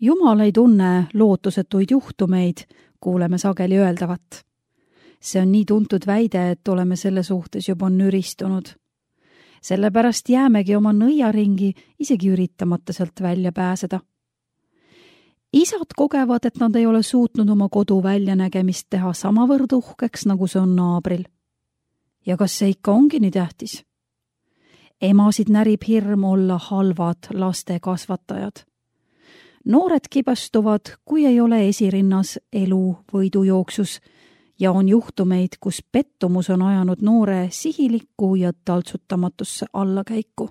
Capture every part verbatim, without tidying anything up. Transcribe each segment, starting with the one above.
Jumal ei tunne lootusetuid juhtumeid, kuuleme sageli öeldavat. See on nii tuntud väide, et oleme selle suhtes juba nüristunud. Sellepärast jäämegi oma nõiaringi isegi üritamata sealt välja pääseda. Isad kogevad, et nad ei ole suutnud oma kodu väljanägemist teha samavõrd uhkeks, nagu see on naabril. Ja kas see ikka ongi nii tähtis? Emasid närib hirm olla halvad laste kasvatajad. Noored kibestuvad, kui ei ole esirinnas elu võidujooksus ja on juhtumeid, kus pettumus on ajanud noore sihilikku ja taltsutamatusse allakäiku.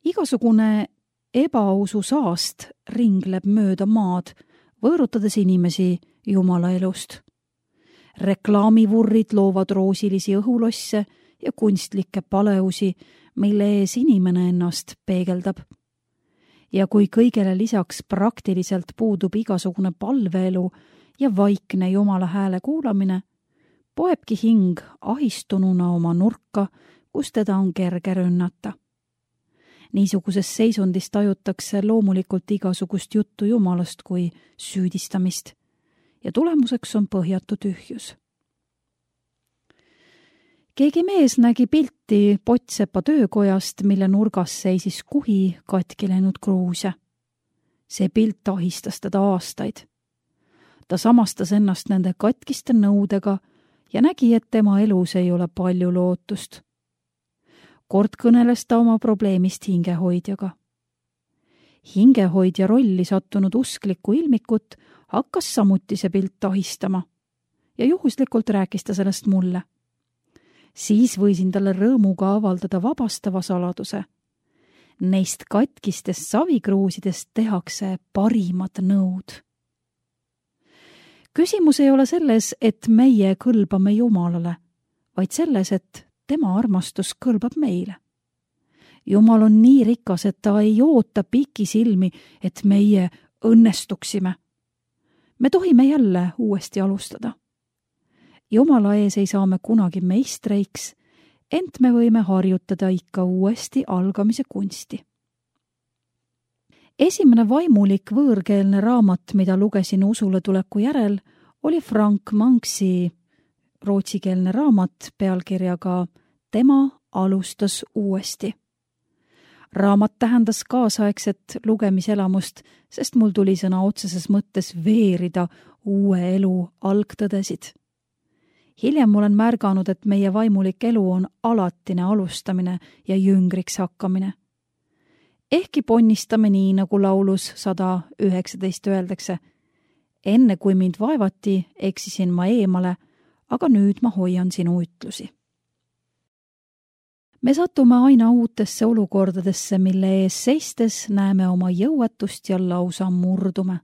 Igasugune ebausu saast ringleb mööda maad, võõrutades inimesi Jumala elust. Reklaamivurrid loovad roosilisi õhulosse ja kunstlikke paleusi, mille ees inimene ennast peegeldab. Ja kui kõigele lisaks praktiliselt puudub igasugune palveelu ja vaikne Jumala hääle kuulamine, poebki hing ahistununa oma nurka, kus teda on kerge rünnata. Niisuguses seisundis tajutakse loomulikult igasugust juttu Jumalast kui süüdistamist ja tulemuseks on põhjatu tühjus. Keegi mees nägi pilti Potsepa töökojast, mille nurgas seisis kuhi katki läinud kruuse. See pilt ahistas teda aastaid. Ta samastas ennast nende katkiste nõudega ja nägi, et tema elus ei ole palju lootust. Kord kõneles ta oma probleemist hingehoidjaga. Hingehoidja rolli sattunud usklikku ilmikut hakkas samuti see pilt ahistama ja juhuslikult rääkis ta sellest mulle. Siis võisin talle rõõmuga avaldada vabastava saladuse. Neist katkistest savikruusidest tehakse parimad nõud. Küsimus ei ole selles, et meie kõlbame Jumalale, vaid selles, et tema armastus kõlbab meile. Jumal on nii rikas, et ta ei oota pikisilmi, et meie õnnestuksime. Me tohime jälle uuesti alustada. Jumala ees ei saa me kunagi meistreiks, ent me võime harjutada ikka uuesti algamise kunsti. Esimene vaimulik võõrkeelne raamat, mida lugesin usule tuleku järel, oli Frank Manksi rootsikeelne raamat pealkirjaga Tema alustas uuesti. Raamat tähendas kaasaegset lugemiselamust, sest mul tuli sõna otseses mõttes veerida uue elu algtõdesid. Hiljem olen märganud, et meie vaimulik elu on alatine alustamine ja jüngriks hakkamine. Ehkki ponnistame nii, nagu laulus sada üheksateist öeldakse. Enne kui mind vaevati, eksisin ma eemale, aga nüüd ma hoian sinu ütlusi. Me satume aina uutesse olukordadesse, mille ees seistes näeme oma jõuetust ja lausa murdume.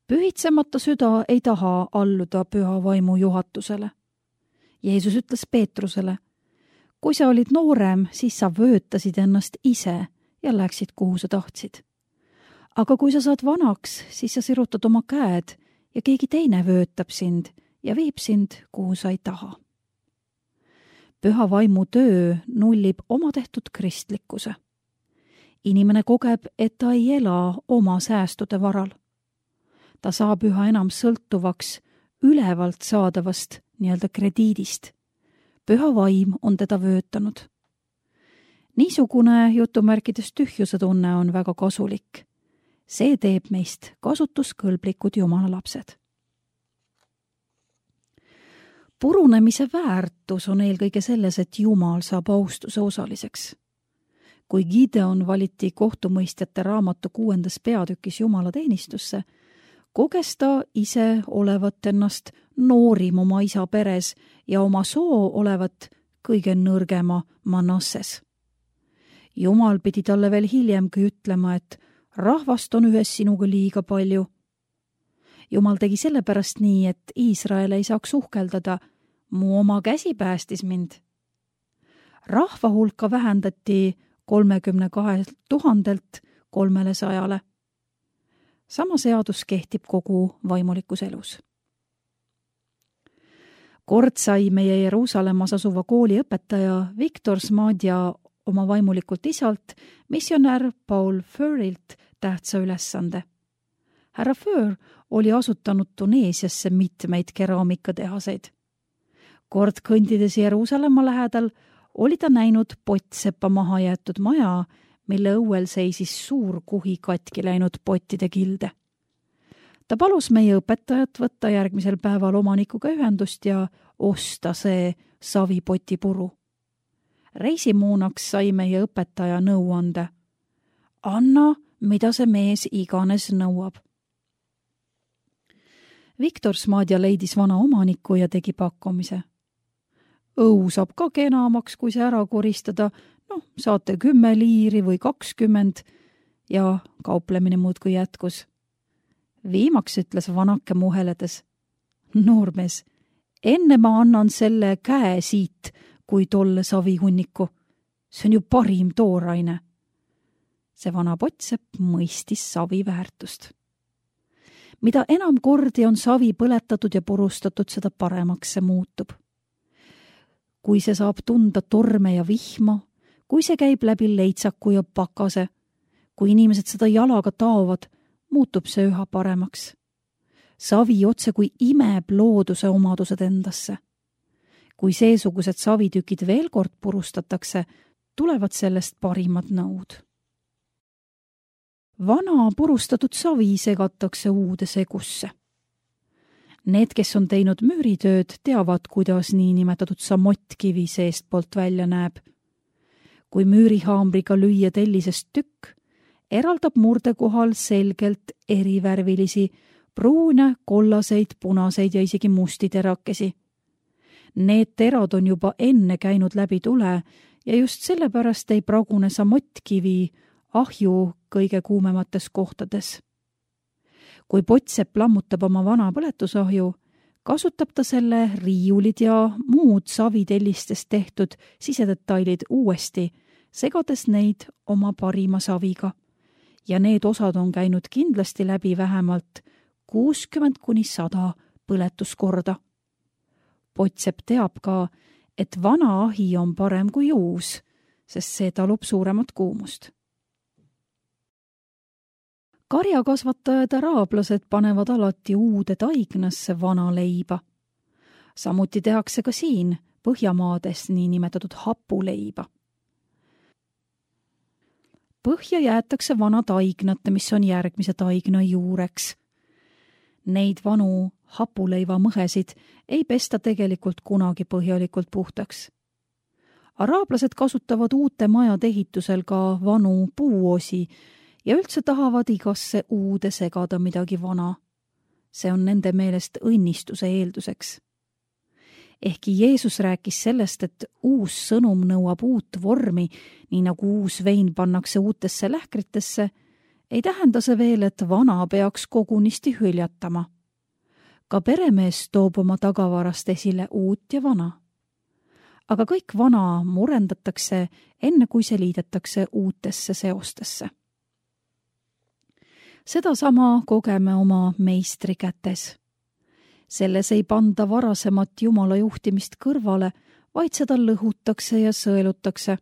Pühitsemata süda ei taha alluda püha vaimu juhatusele. Jeesus ütles Peetrusele, kui sa olid noorem, siis sa vöötasid ennast ise ja läksid, kuhu sa tahtsid. Aga kui sa saad vanaks, siis sa sirutad oma käed ja keegi teine vöötab sind ja viib sind, kuhu sa ei taha. Püha vaimu töö nullib oma tehtud kristlikkuse. Inimene kogeb, et ta ei ela oma säästude varal. Ta saab üha enam sõltuvaks ülevalt saadavast nii-öelda krediidist. Püha vaim on teda vöötanud. Niisugune jutumärkides tühjuse tunne on väga kasulik. See teeb meist kasutuskõlblikud Jumala lapsed. Purunemise väärtus on eelkõige selles, et Jumal saab austuse osaliseks. Kui Gideon valiti kohtumõistjate raamatu kuuendas peatükis Jumala teenistusse, koges ta ise olevat ennast noorim oma isa peres ja oma soo olevat kõige nõrgema Manasses. Jumal pidi talle veel hiljemgi ütlema, et rahvast on ühes sinuga liiga palju. Jumal tegi sellepärast nii, et Iisrael ei saaks uhkeldada, mu oma käsi päästis mind. Rahva hulka vähendati kolmekümne kahe tuhandelt kolmele sajale. Sama seadus kehtib kogu vaimulikus elus. Kord sai meie Jeruusalemmas asuva kooli õpetaja Viktor Smadja oma vaimulikult isalt, missionär Paul Furrilt tähtsa ülesande. Härra Föör oli asutanud Tuneesiasse mitmeid keraamikatehaseid. Kord kõndides Jeruusalemma lähedal oli ta näinud pottseppa maha jäetud maja, mille õuel seisis suur kuhi katki läinud pottide kilde. Ta palus meie õpetajat võtta järgmisel päeval omanikuga ühendust ja osta see savipotipuru. Reisimuunaks sai meie õpetaja nõuande. Anna, mida see mees iganes nõuab. Viktor Smadja leidis vana omaniku ja tegi pakkumise. Õu saab ka kenamaks, kui see ära koristada, noh, saate kümme liiri või kakskümmend ja kauplemine muudkui jätkus. Viimaks ütles vanake muheledes. Noormees, enne ma annan selle käe siit, kui tolle savihunniku. See on ju parim tooraine. See vana pottsepp mõistis savi väärtust. Mida enam kordi on savi põletatud ja purustatud, seda paremaks see muutub. Kui see saab tunda torme ja vihma, kui see käib läbi leitsaku ja pakase, kui inimesed seda jalaga taovad, muutub see üha paremaks. Savi otse kui imeb looduse omadused endasse. Kui seesugused savitükid veel kord purustatakse, tulevad sellest parimad nõud. Vana purustatud savi segatakse uude segusse. Need, kes on teinud müüritööd, teavad, kuidas niinimetatud samottkivi seestpoolt välja näeb. Kui müürihaamriga lüüa tellisest tükk, eraldab murde kohal selgelt erivärvilisi, pruune, kollaseid, punaseid ja isegi musti terakesi. Need terad on juba enne käinud läbi tule ja just sellepärast ei pragune samottkivi ahju kõige kuumemates kohtades. Kui pottsepp lammutab oma vana põletusahju, kasutab ta selle riiulid ja muud savitellistest tehtud sisedetailid uuesti, segades neid oma parima saviga. Ja need osad on käinud kindlasti läbi vähemalt kuuskümmend kuni sada põletuskorda. Pottsepp teab ka, et vana ahi on parem kui uus, sest see talub suuremat kuumust. Karjakasvatajad araablased panevad alati uude taignasse vana leiba. Samuti tehakse ka siin Põhjamaades niinimetatud hapuleiba. Põhja jäetakse vana taignat, mis on järgmise taigna juureks. Neid vanu hapuleiva mõhesid ei pesta tegelikult kunagi põhjalikult puhtaks. Araablased kasutavad uute majade ehitusel ka vanu puuosi ja üldse tahavad igasse uude segada midagi vana. See on nende meelest õnnistuse eelduseks. Ehkki Jeesus rääkis sellest, et uus sõnum nõuab uut vormi, nii nagu uus vein pannakse uutesse lähkritesse, ei tähenda see veel, et vana peaks kogunisti hüljatama. Ka peremees toob oma tagavarast esile uut ja vana. Aga kõik vana murendatakse enne, kui see liidetakse uutesse seostesse. Sedasama kogeme oma meistri kätes. Selles ei panda varasemat Jumala juhtimist kõrvale, vaid seda lõhutakse ja sõelutakse.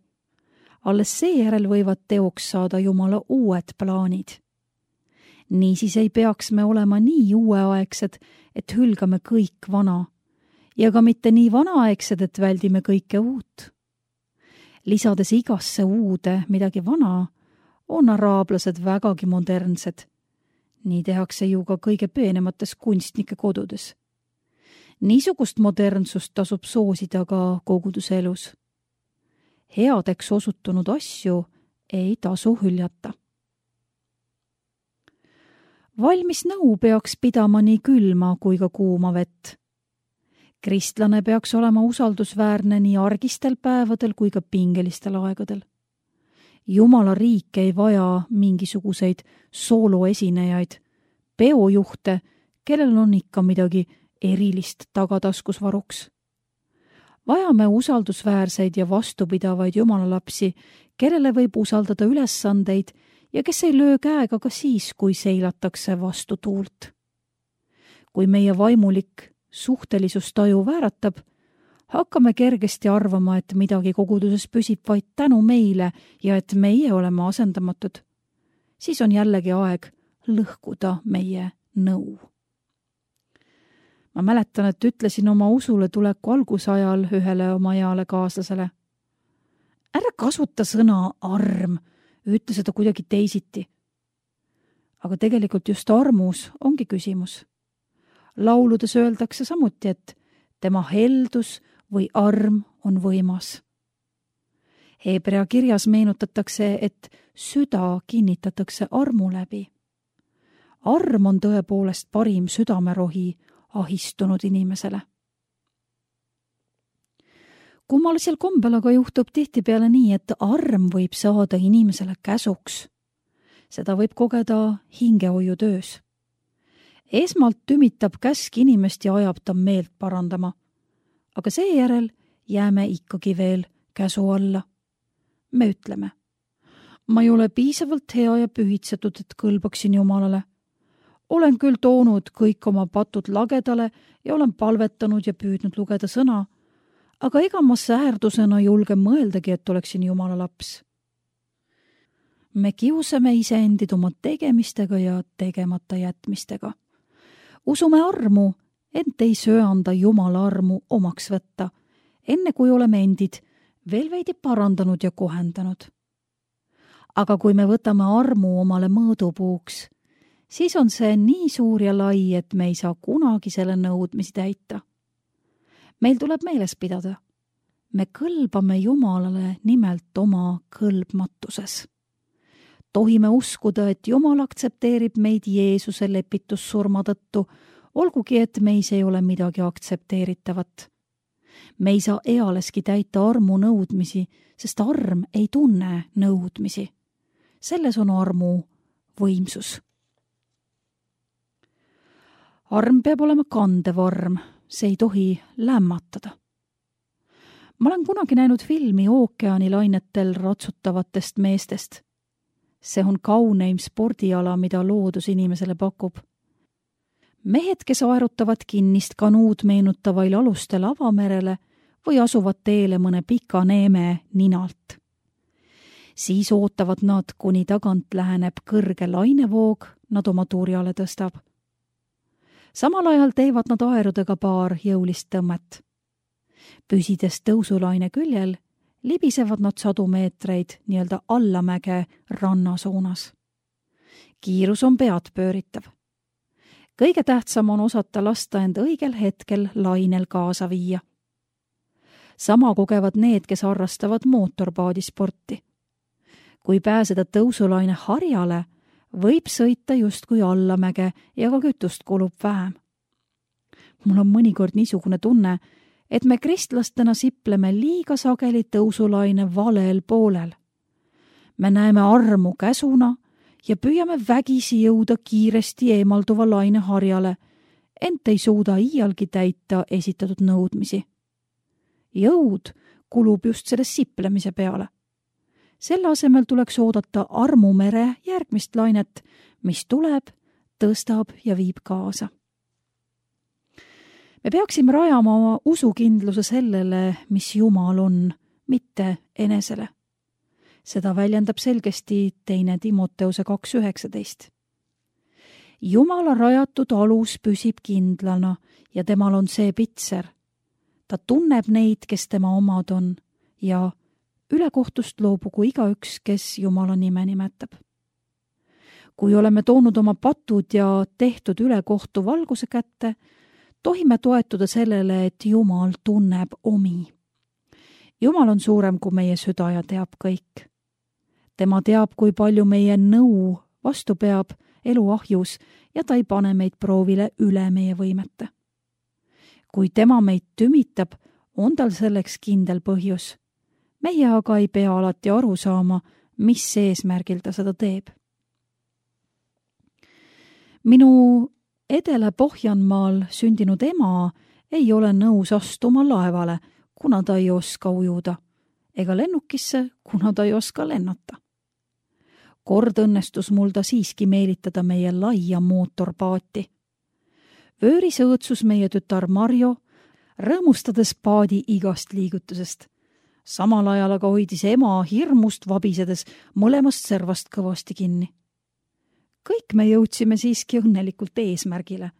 Alles seejärel võivad teoks saada Jumala uued plaanid. Niisiis ei peaks me olema nii uueaegsed, et hülgame kõik vana, ja ka mitte nii vanaaegsed, et väldime kõike uut. Lisades igasse uude midagi vana, on araablased vägagi modernsed. Nii tehakse ju ka kõige peenemates kunstnike kodudes. Niisugust modernsust tasub soosida ka koguduse elus. Headeks osutunud asju ei tasu hüljata. Valmis nõu peaks pidama nii külma kui ka kuuma vett. Kristlane peaks olema usaldusväärne nii argistel päevadel kui ka pingelistel aegadel. Jumala riik ei vaja mingisuguseid sooloesinejaid, peojuhte, kellel on ikka midagi erilist tagataskus varuks. Vajame usaldusväärseid ja vastupidavaid Jumala lapsi, kellele võib usaldada ülesandeid ja kes ei löö käega ka siis, kui seilatakse vastu tuult. Kui meie vaimulik suhtelisustaju vääratab, hakkame kergesti arvama, et midagi koguduses püsib vaid tänu meile ja et meie oleme asendamatud. siis on jällegi aeg lõhkuda meie nõu. Ma mäletan, et ütlesin oma usule tuleku algusajal ühele oma heale kaaslasele. Ära kasuta sõna arm, ütle seda kuidagi teisiti. Aga tegelikult just armus ongi küsimus. Lauludes öeldakse samuti, et tema heldus või arm on võimas. Hebrea kirjas meenutatakse, et süda kinnitatakse armu läbi. Arm on tõepoolest parim südamerohi ahistunud inimesele. Kummalisel kombel aga juhtub tihtipeale nii, et arm võib saada inimesele käsuks. Seda võib kogeda hingehoiutöös. Esmalt tümitab käsk inimest ja ajab ta meelt parandama, aga seejärel jääme ikkagi veel käsu alla. Me ütleme, ma ei ole piisavalt hea ja pühitsetud, et kõlbaksin Jumalale. Olen küll toonud kõik oma patud lagedale ja olen palvetanud ja püüdnud lugeda sõna, aga ega ma säärdusena julge mõeldagi, et oleksin Jumala laps. Me kiusame iseendid oma tegemistega ja tegemata jätmistega. Usume armu, ent ei söanda Jumala armu omaks võtta, enne kui oleme endid veel veidi parandanud ja kohendanud. Aga kui me võtame armu omale mõõdupuuks, siis on see nii suur ja lai, et me ei saa kunagi selle nõudmisi täita. Meil tuleb meeles pidada, me kõlbame Jumalale nimelt oma kõlbmatuses. Tohime uskuda, et Jumal aktsepteerib meid Jeesuse lepitussurma tõttu, olgugi et meis ei ole midagi aktsepteeritavat. Me ei saa ealeski täita armu nõudmisi, sest arm ei tunne nõudmisi. Selles on armu võimsus. Arm peab olema kandev arm, see ei tohi lämmatada. Ma olen kunagi näinud filmi ookeanilainetel ratsutavatest meestest. See on kauneim spordiala, mida loodus inimesele pakub. Mehed, kes aerutavad kinnist kanuud meenutavail alustel avamerele või asuvad teele mõne pika neeme ninalt. Siis ootavad nad, kuni tagant läheneb kõrge lainevoog, nad oma turjale tõstab. Samal ajal teevad nad aerudega paar jõulist tõmmet. Püsides tõusulaine küljel, libisevad nad sadu meetreid nii-öelda allamäge rannasuunas. Kiirus on pead pööritav. Kõige tähtsam on osata lasta end õigel hetkel lainel kaasa viia. Sama kogevad need, kes harrastavad mootorpaadisporti. Kui pääseda tõusulaine harjale, võib sõita justkui allamäge ja ka kütust kulub vähem. Mul on mõnikord niisugune tunne, et me kristlastena sipleme liiga sageli tõusulaine valel poolel. Me näeme armu käsuna ja püüame vägisi jõuda kiiresti eemalduva laine harjale, ent ei suuda iialgi täita esitatud nõudmisi. Jõud kulub just selles siplemise peale. Selle asemel tuleks oodata armumere järgmist lainet, mis tuleb, tõstab ja viib kaasa. Me peaksime rajama oma usukindluse sellele, mis Jumal on, mitte enesele. Seda väljendab selgesti teine Timoteuse kaks üheksateist. Jumala rajatud alus püsib kindlana ja temal on see pitser. Ta tunneb neid, kes tema omad on ja ülekohtust loobugu igaüks, kes Jumala nime nimetab. Kui oleme toonud oma patud ja tehtud ülekohtu valguse kätte, tohime toetuda sellele, et Jumal tunneb omi. Jumal on suurem kui meie süda ja teab kõik. Tema teab, kui palju meie nõu vastu peab elu ahjus ja ta ei pane meid proovile üle meie võimete. Kui tema meid tümitab, on tal selleks kindel põhjus. Meie aga ei pea alati aru saama, mis eesmärgil ta seda teeb. Minu Edele-Pohjanmaal sündinud ema ei ole nõus astuma laevale, kuna ta ei oska ujuda, ega lennukisse, kuna ta ei oska lennata. Kord õnnestus mul ta siiski meelitada meie laia mootorpaati. Vööris õõtsus meie tütar Marjo, rõõmustades paadi igast liigutusest. Samal ajal aga hoidis ema hirmust vabisedes mõlemast servast kõvasti kinni. kõik me jõudsime siiski õnnelikult eesmärgile.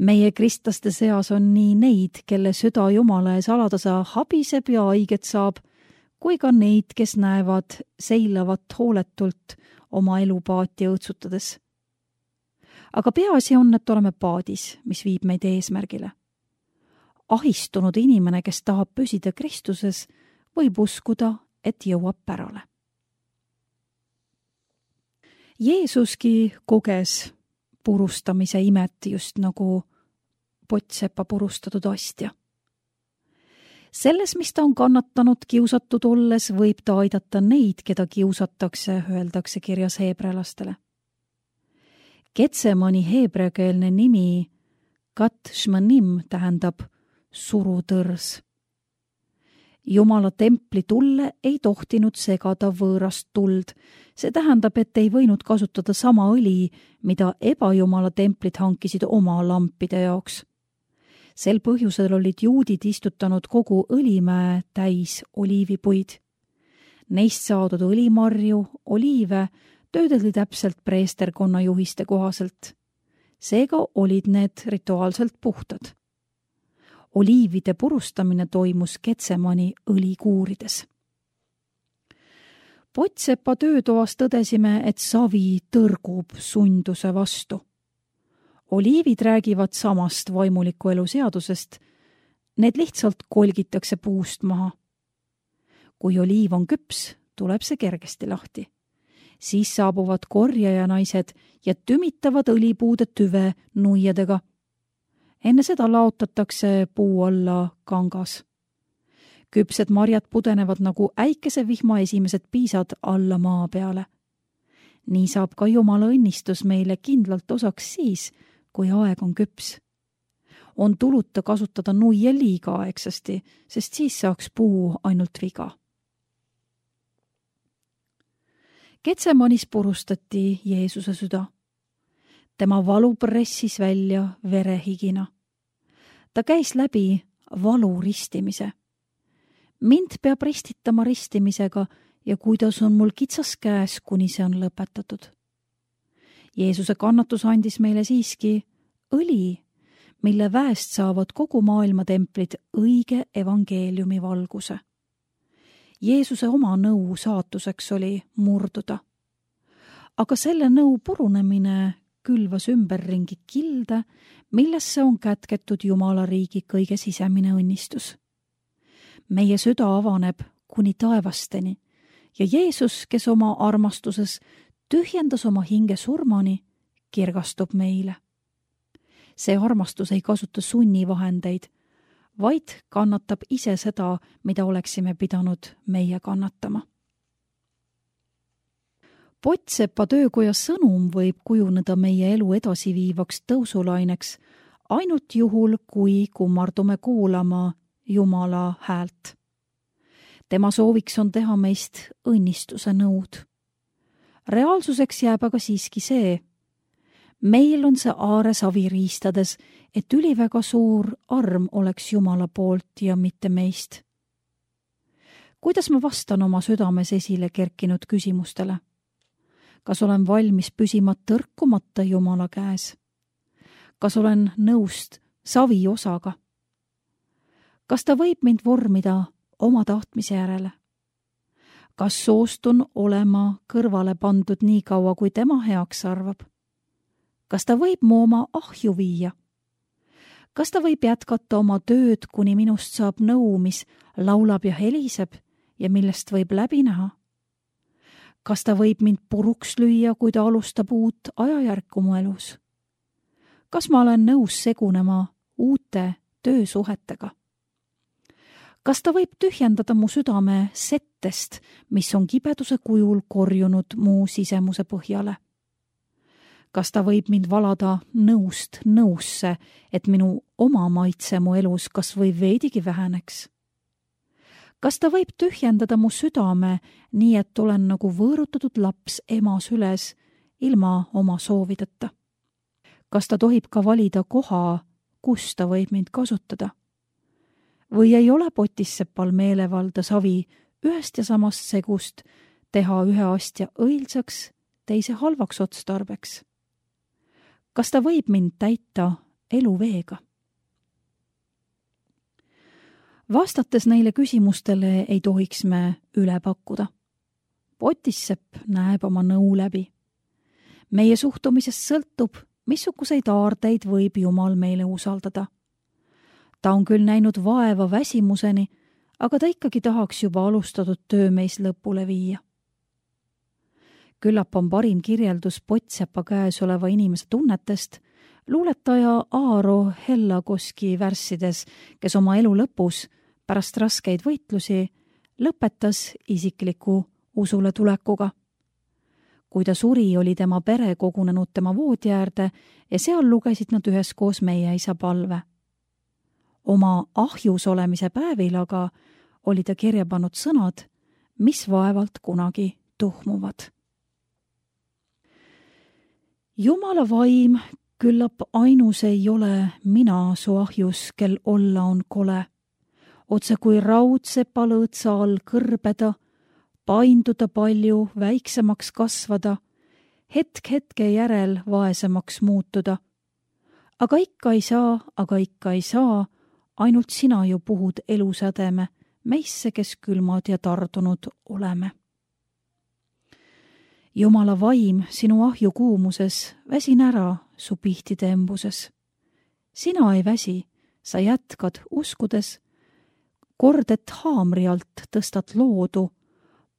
Meie kristlaste seas on nii neid, kelle süda Jumala ees alatasa habiseb ja haiget saab, kui ka neid, kes näevad seilavat hooletult oma elu paati õõtsutades. Aga peaasi on, et oleme paadis, mis viib meid eesmärgile. Ahistunud inimene, kes tahab püsida Kristuses, võib uskuda, et jõuab pärale. Jeesuski koges purustamise imet just nagu pottsepa purustatud astja. Selles, mis ta on kannatanud kiusatud olles, võib ta aidata neid, keda kiusatakse, öeldakse kirjas heebrealastele. Getsemani heebreakeelne nimi Kat Shmanim tähendab surutõrs. Jumala templi tulle ei tohtinud segada võõrast tuld. See tähendab, et ei võinud kasutada sama õli, mida ebajumala templid hankisid oma lampide jaoks. Sel põhjusel olid juudid istutanud kogu õlimäe täis oliivipuid. Neist saadud õlimarju, oliive töödeldi täpselt preesterkonna juhiste kohaselt. Seega olid need rituaalselt puhtad. Oliivide purustamine toimus Getsemani õlikuurides. Pottsepa töötoas tõdesime, et savi tõrgub sunduse vastu. Oliivid räägivad samast vaimuliku elu seadusest. Need lihtsalt kolgitakse puust maha. Kui oliiv on küps, tuleb see kergesti lahti. Siis saabuvad korjaja naised ja tümitavad õlipuude tüve nuiadega. Enne seda laotatakse puu alla kangas. Küpsed marjad pudenevad nagu äikesevihma esimesed piisad alla maa peale. Nii saab ka Jumala õnnistus meile kindlalt osaks siis, kui aeg on küps. On tuluta kasutada nuia liiga aegsasti, sest siis saaks puu ainult viga. Getsemanis purustati Jeesuse süda. Tema valu pressis välja verehigina. Ta käis läbi valu ristimise. Mind peab ristitama ristimisega ja kuidas on mul kitsas käes, kuni see on lõpetatud. Jeesuse kannatus andis meile siiski õli, mille väest saavad kogu maailma templid õige evangeeliumi valguse. Jeesuse oma nõu saatuseks oli murduda. Aga selle nõu purunemine külvas ümberringi kilde, millesse on kätketud Jumala riigi kõige sisemine õnnistus. Meie süda avaneb kuni taevasteni ja Jeesus, kes oma armastuses tühjendas oma hinge surmani, kirgastub meile. See armastus ei kasuta sunnivahendeid, vaid kannatab ise seda, mida oleksime pidanud meie kannatama. Pottsepa töökoja sõnum võib kujuneda meie elu edasiviivaks tõusulaineks ainult juhul, kui kummardume kuulama Jumala häält. Tema sooviks on teha meist õnnistuse nõud. Reaalsuseks jääb aga siiski see. Meil on see aare savi riistades, et üliväga suur arm oleks Jumala poolt ja mitte meist. Kuidas ma vastan oma südames esile kerkinud küsimustele? Kas olen valmis püsima tõrkumata Jumala käes? Kas olen nõust savi osaga? Kas ta võib mind vormida oma tahtmise järele? Kas soostun olema kõrvale pandud nii kaua, kui tema heaks arvab? Kas ta võib mu oma ahju viia? Kas ta võib jätkata oma tööd, kuni minust saab nõu, mis laulab ja heliseb ja millest võib läbi näha? Kas ta võib mind puruks lüüa, kui ta alustab uut ajajärku mu elus? Kas ma olen nõus segunema uute töösuhetega? Kas ta võib tühjendada mu südame settest, mis on kibeduse kujul korjunud mu sisemuse põhjale? Kas ta võib mind valada nõust nõusse, et minu oma maitse mu elus kas või veidigi väheneks? Kas ta võib tühjendada mu südame nii, et olen nagu võõrutatud laps ema süles ilma oma soovideta? Kas ta tohib ka valida koha, kus ta võib mind kasutada? Või ei ole potissepal meelevalda savi ühest ja samast segust teha ühe astja õilsaks, teise halvaks otstarbeks? Kas ta võib mind täita eluveega? Vastates neile küsimustele ei tohiks me üle pakkuda. Potissepp näeb oma nõu läbi. Meie suhtumisest sõltub, missuguseid aardeid võib Jumal meile usaldada. Ta on küll näinud vaeva väsimuseni, aga ta ikkagi tahaks juba alustatud töö meis lõpule viia. Küllap on parim kirjeldus Potsepa käes oleva inimese tunnetest luuletaja Aaro Hellakoski värssides, kes oma elu lõpus pärast raskeid võitlusi lõpetas isikliku usule tulekuga. Kui ta suri, oli tema pere kogunenud tema voodi äärde ja seal lugesid nad üheskoos meie isa palve. Oma ahjus olemise päevil aga oli ta kirja pannud sõnad, mis vaevalt kunagi tuhmuvad. Jumala vaim küllap ainus ei ole mina su ahjus, kel olla on kole. Otse kui raudsepa lõõtsa all kõrbeda, painduda palju, väiksemaks kasvada, hetk hetke järel vaesemaks muutuda. Aga ikka ei saa, aga ikka ei saa, ainult sina ju puhud elusädeme, meisse, kes külmad ja tardunud oleme. Jumala vaim sinu ahju kuumuses, väsin ära su pihtide embuses. Sina ei väsi, sa jätkad uskudes, kord et haamri alt tõstad loodu,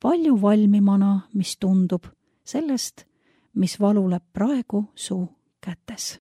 palju valmimana, mis tundub sellest, mis valuleb praegu su kätes.